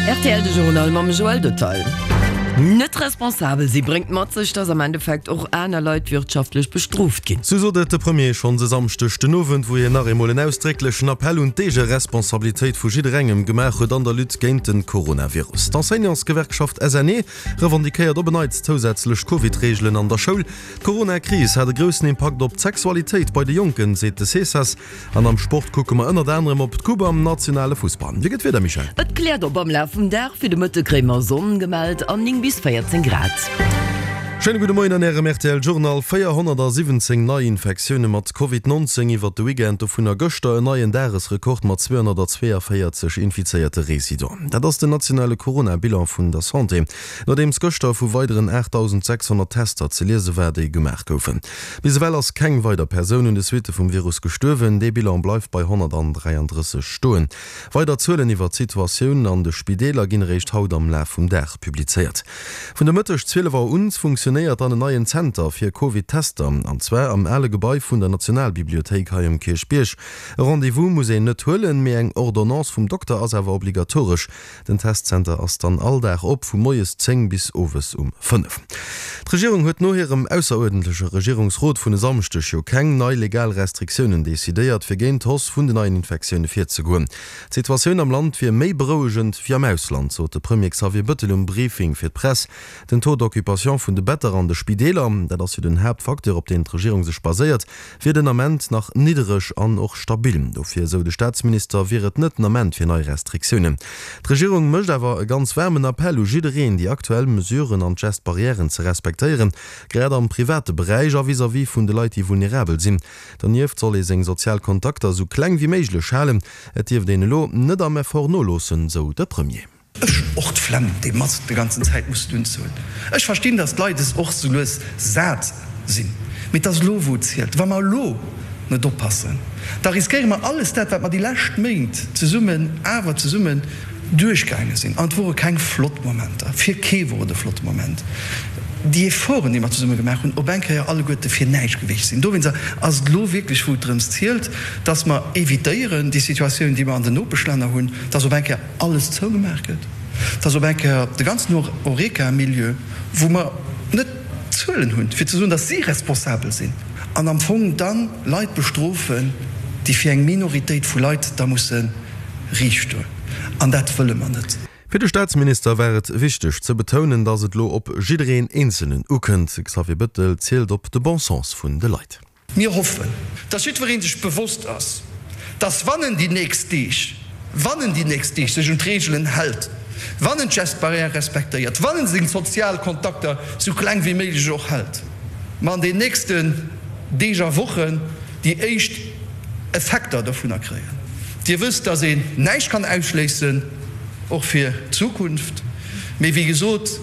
Rtl de Journal mam Joël Detail. Net responsabel si bréngt mat sech, datt am Endeffekt och aner Leit wirtschaftlech bestrooft ginn. Sou sot et de Premier schonns e Samschdeg den Owend, wou hien nach eemol en ausdrécklechen Appell un d'Eegeresponsabilitéit vu jidderengem gemaach huet an der Lutte géint de Coronavirus. D'Enseignantsgewerkschaft SNE revendiquéiert op en Neits zousätzlech Covid-Reegelen an der Schoul. D'Corona-Kris hat e groussen Impakt op d'Sexualitéit bei de Jonken, seet de Cesas. An am Sport kucke mer ënnert anerem op d'Coupe am nationale Fussball. Wéi gëtt d'Wieder, Michèle? Et kläert op am Laf vum Dag, fir de Mëtte kréie mer Sonn gemellt an 9 bis 14 Grad. Schéine gudde Moien an Ärem rtl Journal. 417 Neiinfektioune mat Covid 19 iwwert de Weekend, dovunner gëschter en neien Dagesrekord mat 242 infizéierte Residenten. Dat ass den nationale Corona-Bilan vun der Santé, nodeems gëschter vu weideren 8.600 Tester ze liese war, déi gemaach goufen. Bis ewell ass keng weider Persoun un de Suitte vum Virus gestuerwen. Dee Bilan bleift bei 133 stoen. Weider Zuelen iwwer d'Situatioun an de Spideeler ginn eréischt haut am Laf vum Dag publizéiert. Vun de Mëtteg 12 Auer un funktionéiert dann en neien Zenter fir Covid-Tester, an zwar am ale Gebai vun der Nationalbibliothéik hei um Kierchbierg. E Rendez-vous muss een net huelen, mee eng Ordonnance vum Dokter ass awer obligatoresch. Den Testzenter ass dann all Dag op, vu moies 10 bis owes um 5. D'Regierung huet no hirem ausseruerdentleche Regierungsrot vun e Samschdeg jo keng nei legal Restriktiounen decidéiert, fir géint d'Hausse vun den neien Infektioune virzegoen. D'Situatioun am Land wier méi berouegend wéi am Ausland, sot de Premier Xavier Bëttel um Briefing fir d'Press. Den Taux d'occupation vun de Better an de Spideeler, dat ass jo den Haaptfacteur, op deen d'Regierung sech baséiert, wier den Ament nach niddereg an och stabil. Dofir, esou de Staatsminister, wier et net den Ament fir nei Restriktiounen. D'Regierung mécht awer e ganz waarmen Appell u jiddereen, déi aktuell Mesuren an d'Gestes barrièren ze respektéieren, grad am private Beräich a vis-à-vis vun de Leit, déi vulnerabel sinn. Donieft soll ee seng sozial Kontakter esou kleng wéi méiglech halen. Et dierft een elo net am Effort noloossen, esou de Premier. Ech hunn och d'Flemm, déi Mask de ganzen Zäit mussen unzehuelen. Ech verstinn, datt d'Leit es och sou lues sat sinn. Mee et ass elo, wou et zielt. Wa mer elo net oppassen, da riskéiere mer alles dat, wat mer déi lescht Méint zesummen, awer zesummen duerchgaange sinn. An et wore keng flott Momenter. Fir kee wor et e flotte Moment. Déi Efforten, déi mer zesumme gemaach hunn, op eng Kéier alleguerte fir näischt gewiescht sinn. Dowéinster ass et elo wierklech, wou et drëms zielt, datt mer evitéieren, déi Situatioun, déi mer an den Nopeschlänner hunn, datt op eng Kéier, alles zougemaach gëtt, dass op eng Kéier de ganzen Horeca-Milieu, wou mer net d'Zuelen hunn, fir ze soen, dass si responsabel sinn, an am Fong da Leit bestrofen, déi fir eng Minoritéit vu Leit da musse riicht stoen. An dat wëlle mer net. Fir de Staatsminister war et wichteg ze betounen, datt et elo op jiddereen Eenzelnen ukënnt. De Xavier Bëttel zielt op de Bon Sens vun de Leit. Mir hoffen, dass jiddweree sech bewosst ass, dass wann en déi nächst Deeg, wann en déi nächst Deeg sech un d'Reegelen hält, wann en d'Gestes barrières respektéiert, wann en seng sozial Kontakter sou kleng wéi méiglech och hält, mer an den nächsten Deeg a Wochen déi éischt Effekter dovunner kréien. Dir wësst, dass een näischt kann ausschléissen, och fir d'Zukunft, mee wéi gesot,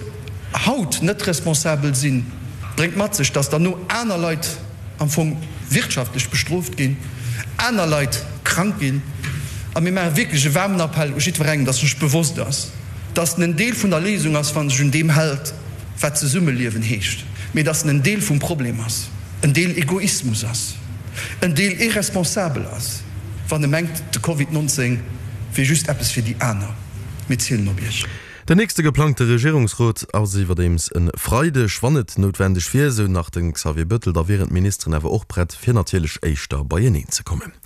haut net responsabel sinn, bréngt mat sech, dass derno aner Leit am Fong wirtschaftlech bestrooft ginn, aner Leit krank ginn. A mir maache wierklech e waarmen Appell u jiddwerengem, dass sech bewosst ass, dass en en Deel vun der Léisung ass, wa sech un deem hält, wat Zesummeliewen heescht, mee dass en en Deel vum Problem ass, en Deel Egoismus ass, en Deel irresponsabel ass, wann e mengt, de Covid 19 wier just eppes fir déi aner. Mir zielen op Iech. Den nächste geplangte Regierungsrot ass iwwerdeems e Freideg. Wann et noutwendeg wier, esou nach de Xavier Bëttel, da wieren d'Ministeren awer och prett, fir natierlech éischter beieneen ze kommen.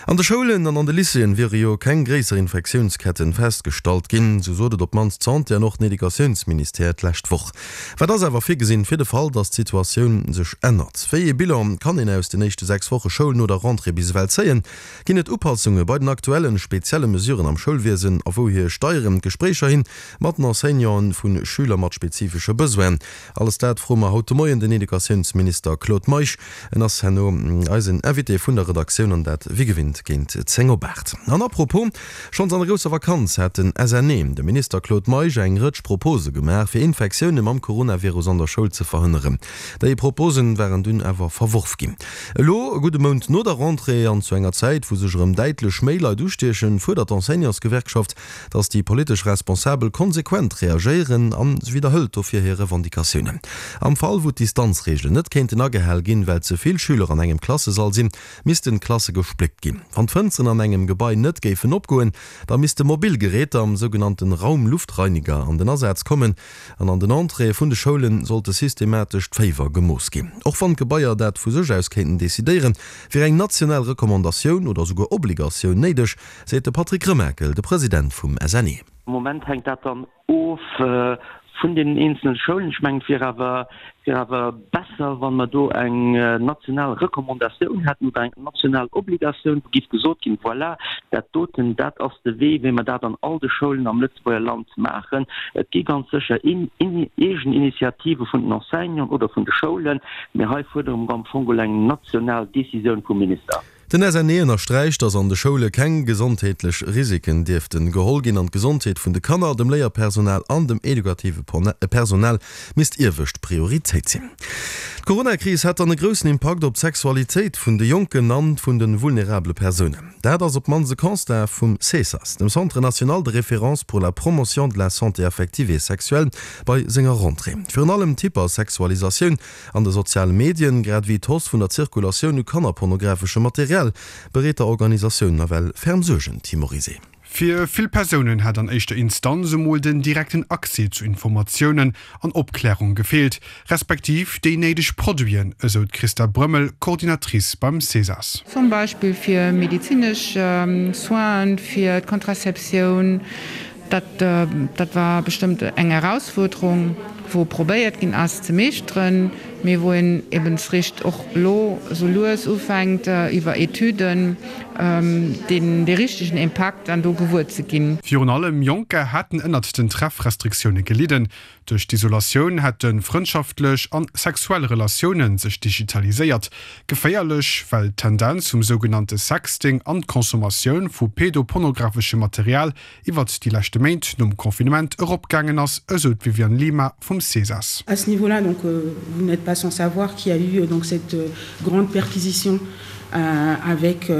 An de Schoulen an an de Lycéeën wiere jo keng gréisser Infektiounsketten festgestallt ginn, esou sot et op d'mannst d'Santé an och den Educatiounsministère d'lescht Woch. Wat ass awer virgesinn, fir de Fall, datt d'Situatioun sech ännert? Wéi ee Bilan kann een aus den éischte 6 Woche Schoul no der Rentrée bis ewell zéien? Ginn et Upassunge bei den aktuellen, spezielle Mesuren am Schoulwiesen a wouhier steieren d'Gespréicher hin mat den Enseignanten vu Schüler mat spezifesche Besoinen? Alles dat froe mer haut de Moien den Educatiounsminister Claude Meisch. En ass herno eisen Invité vun der Redaktioun an dat wéi gewinnt géint 10 op 8. An apropos, schonns an der grousser Vakanz hat den SNE dem Minister Claude Meisch eng Rëtsch Propose gemaach fir Infektioune mam Coronavirus an der Schoul ze verhënneren. Déi Proposen waren dunn awer verworf ginn. Elo, e gudde Mount no der Rentrée an zu enger Zäit, wou sech erëm däitlech méi Leit ustiechen, fuerdert d'Enseignantsgewerkschaft, datt déi politesch Responsabel konsequent reagéieren a se widderhëlt dofir hir Revendicatiounen. Am Fall, wou d'Distanzreegelen net kéinten agehal ginn, well ze vill Schüler an engem Klassesall sinn, missten d'Klasse gespléckt ginn. Wann d'Fënsteren an engem Gebai net géifen opgoen, da misste mobil Geräter am sougenannten Raumluftreiniger an den Asaz kommen an an den Entréeë vun de Schoule sollte systematesch d'Féiwer gemooss ginn. Och wann d'Gebaier dat vu sech aus kéinten decidéieren, wier eng national Recommandatioun oder souguer Obligatioun néideg, seet de Patrick Remakel, de President vum SNE. Am Moment hänkt dat dann of vun deenen eenzele Schoulen. Ech mengen, et wier awer, wier awer besser, wa mer do eng national Recommandatioun hätten oder eng national Obligatioun, wou géif gesot ginn, Voilà, dat doten, dat ass de Wee, wéi mer dat an all de Schoulen am Lëtzebuerger Land maachen. Et gi ganz sécher eegen Initiative vun den Enseignanten oder vun de Schoulen, mee hei fuerdere mer am Fong geholl eng national Décisioun vum Minister. Den SNE ënnersträicht, datt an de Schoule keng gesondheetlech Risiken dierften geholl ginn an d'Gesondheet vun de Kanner, dem Léierpersonal an dem edukative Personal misst iewescht Prioritéit sinn. D'Coronakris hätt dann e groussen Impakt op d'Sexualitéit vun de Jonken an vun de vulnerabele Persounen. Dat ass op d'mannst e Constat vum CESAS, dem Centre national de référence pour la promotion de la santé affective et sexuelle, bei senger Rentrée. Virun allem d'Hypersexualisatioun An de soziale Medien, grad ewéi d'Hausse vun der Zirkulatioun u kannerpornografeschem Material, bereet der Organisatioun nawell ferm Suergen, Tim Morizet. Fir vill Persounen hätt an éischter Instanz emol den direkten Accès zu Informatiounen an Opklärung gefeelt, respektiv déi néideg Produiten, esou d'Christa Brömmel, Coordinatrice beim Cesas. Zum Beispill fir medezinesch Soinen, fir d'Kontraceptioun, Dat, dat war bestëmmt eng Erausfuerderung, wou probéiert ginn ass ze meeschteren, mee wou een ebens richt och elo esou lues ufänkt, iwwer Etüden deen, dee richtegen Impakt dann do gewuer ze ginn. Virun allem Jonker hätten ënnert den Treffrestriktioune gelidden. Duerch d'Isolatioun hätte frëndschaftlech an sexuell Relatioune sech digitaliséiert. Geféierlech, well d'Tendenz vum sougenannte Sexting an d'Consommatioun vu pedopornografeschem Material iwwert déi leschte Méint nom Confinement eropgaangen ass, esou d'Viviane Lima vum Cesas. À ce niveau-là, donc vous n'êtes pas sans savoir qu'il y a eu donc cette grande perquisition avec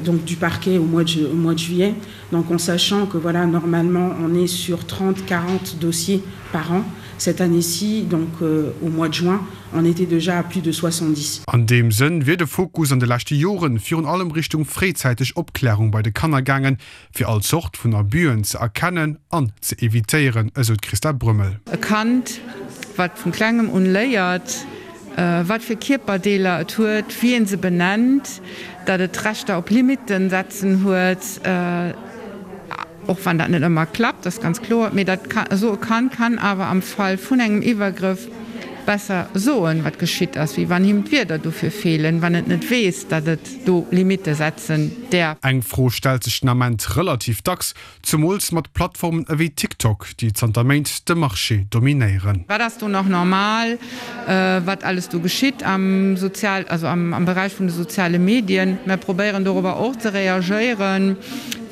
donc du parquet au mois de, au mois de juillet. Donc en sachant que voilà, normalement on est sur 30, 40 dossiers par an. Cette année-ci, donc au mois de juin, on était déjà à plus de 70. An deem Sënn wier de Fokus an de leschte Joren virun allem Richtung fréizäiteg Opklärung bei de Kanner gaangen, fir all Zort vun Abusen ze erkennen an ze evitéieren, esou d'Christa Brömmel. E Kand, wat vun klengem un léiert, wat fir Kierperdeeler et huet, wéi een se benennt, dat et Rechter op Limitten setzen huet, och wann dat net ëmmer klappt, ass ganz kloer, mee dat esou e Kand kann awer am Fall vun engem Iwwergrëff besser soen, wat geschitt ass, wéi wann him d'Wierder dofir feelen, wann et net weess, datt et do Limitte setzen däerf. Eng Fro stellt sech den Ament relativ dacks, Zumools mat Plattformen ewéi TikTok, déi zanter Méint de Marché dominéieren. Wat ass do nach normal, wat alles do geschitt am Sozial, also am Beräich vun de soziale Medien? Mer probéieren dorobber och ze reagéieren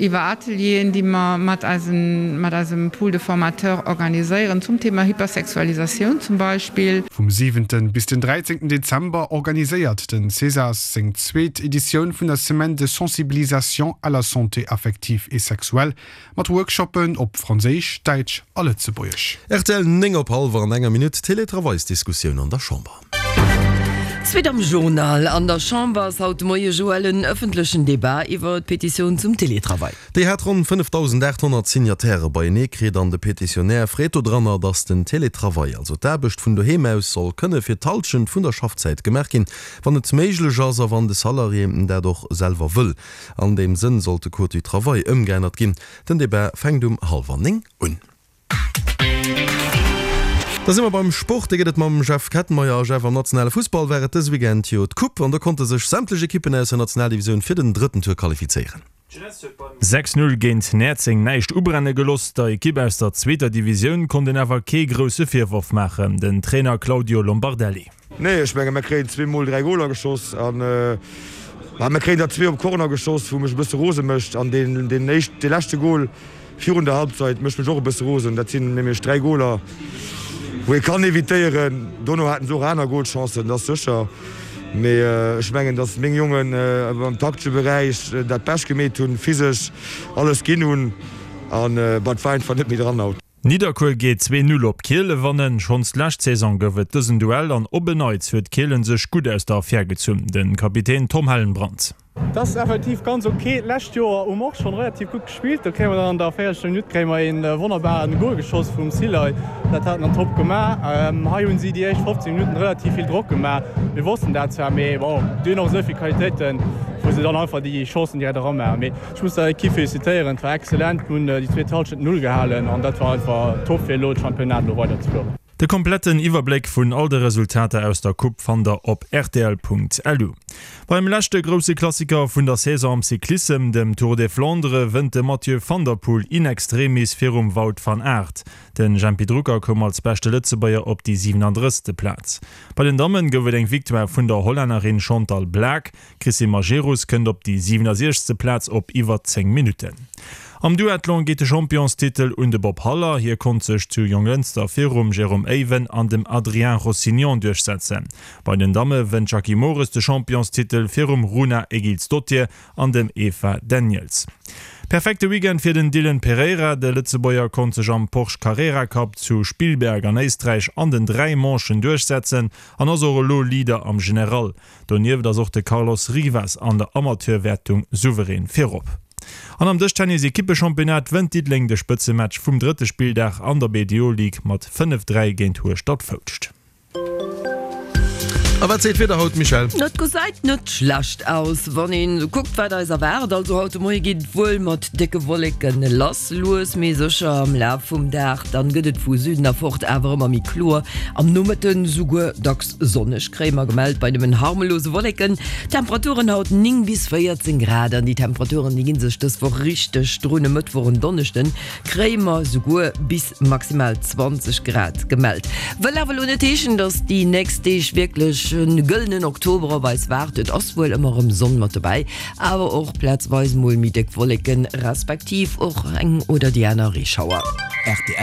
iwwer Atelieren, déi mer mat eisen, mat eisem Pool de formateurs organiséieren zum Thema Hypersexualisatioun zum Beispill. Vum siwenten bis den dräizéngten Dezember organiséiert den Cesas seng zweet Editioun vun der Semaine de sensibilisation à la santé affective et sexuelle mat Workshoppen op Franséisch, Däitsch a Lëtzebuergesch. Rtl 9 op hallwer an enger Minutt, Teletravailsdiskussioun an der Chamber. Suite am Journal, An der Chamber ass haut de Moie Joël en ëffentlechen Debat iwwer d'Petitioun zum Teletravail. Déi hat ronn 5.800 Signatairë beienee kritt an de Petitionär freet dodranner, datt den Teletravail, also d'Aarbecht vun doheem aus, soll kënne fir d'Hallschent vun der Schaffzäit gemaach ginn, wann et méiglech ass a wann de Salarié dat och selwer wëll. An deem Sënn sollt de Code du travail ëmgeännert ginn. Den Debat fänkt um hallwer 9 un. Da si mer beim Sport. Dee gëtt et mam Jeff Kettenmeyer. A Jeff, am nationale Fussball war et dëse Weekend jo d'Coupe an do konnte sech sämtlech Ekippen aus der Nationaldivisioun fir den drëtten Tour qualifizéieren. 6, 0 géint Näerzeng näischt ubrenne gelooss. Der Ekipp aus der zweeter Divisioun konnt een awer kee grousse Virworf maachen, den Trainer Claudio Lombardelli. Nee, ech menge mer kréien zweemol 3 Goler geschoss an mer kréien der zwee op Corner geschoss, wou mech e bësse rose mécht an deen deen éischt dee leschte Gol virun der Halbzeit mécht mech och e bësse rosen. Dat sinn nämlech 3 Goler, wou ee kann evitéieren. Dono haten se och aner Golchancen, dat ass sécher, mee ech mengen, datt meng Jongen am taktesche Beräich dat Bescht gemeet hunn, physesch alles ginn hunn an et war einfach net méi dran haut. Nidderkuer geet 2, 0 op Kielen wannen. Schonns d'lescht Saison gouf et dësen Duell an op en Neits huet Kielen sech gutt aus der Affär gezunn. De Kapitän Tom Hellenbrand. Et ass effektiv ganz ok. D'lescht Joer hu mer och schonn relativ gutt gespillt. Do kréie mer dann an der véierzechter Minutt kréie mer een wonnerbaren Goal geschoss vum Silay. Dat hat en dann top gemaach. Hei hunn si déi éischt 15 Minutten relativ vill Drock gemaach. Mir wossten dat zwar, mee bon, déi hunn och esou vill Qualitéiten, wou se dann einfach déi Chancen direkt eramaachen. Mee Ech muss der Equipe felicitéieren, et war excellent, mir hunn déi zweet Halschent Null gehalen an dat war einfach top fir elo d'Championnat elo weider ze fueren. De kompletten Iwwerbléck vun all de Resultater aus der Coupe fannt der op rtl.lu. Beim leschte grousse Klassiker vun der Saison am Cyclissem, dem Tour des Flandres, wënnt de Mathieu van der Poel in extremis virum Wout van Aert. Den Jempy Drucker koum als beschte Lëtzebuerger op déi 37. Plaz. Bei den Dammen gouf et eng Victoire vun der Hollännerin Chantal Blaak. D'Christine Majerus kënnt op déi 67. Plaz op iwwer 10 Minutten. Am Duathlon geet de Championstitel un de Bob Haller. Hie konnt sech zu Jonglënster virum Jérôme Eyven an dem Adrien Rossignon duerchsetzen. Bei den Damme wënnt d'Jackie Mores de Championstitel virum Runa Egilsdottir an dem Eva Daniels. Perfekte Weekend fir den Dylan Pereira. De Lëtzebuerger konnt sech am Porsche Carrera Cup zu Spielberg an Éisträich an den 3 Manchen duerchsetzen an ass och elo Leader am General. Donieft ass och de Carlos Rivas an der Amateurwäertung souverän virop. An am Dëschtennis-Ekippechampionnat wënnt Diddeleng de Spëtzematch vum drëtte Spilldag an der BDO Ligue mat 5, 3 géint Hueschtert-Foulscht. A wat seet d'Wieder haut, Michèle? Et gesäit net schlecht aus, wann een esou kuckt, wat eis erwaart. Also haut de Moie geet et wuel mat décke Wolleke lass, lues mee sécher am Laf vum Dag. Dann gëtt et vu Süden erfort awer ëmmer méi kloer, am Nomëtten esouguer dacks Sonneg kréie mer gemellt bei nëmmen harmlose Wolleken. Temperaturen haut 9 bis 14 Grad an déi Temperaturen déi gi sech dës Woch richteg drun. E Mëttwoch en Donneschden kréie mer souguer bis maximal 20 Grad gemellt. Wëll awer elo net heeschen, dass déi nächst Deeg wierklech e gëllenen Oktober op eis waart. Et ass wuel ëmmer erëm Sonn mat dobäi, awer och plazweis mol méi déck Wolleken, respektiv och eng oder déi aner Reeschauer.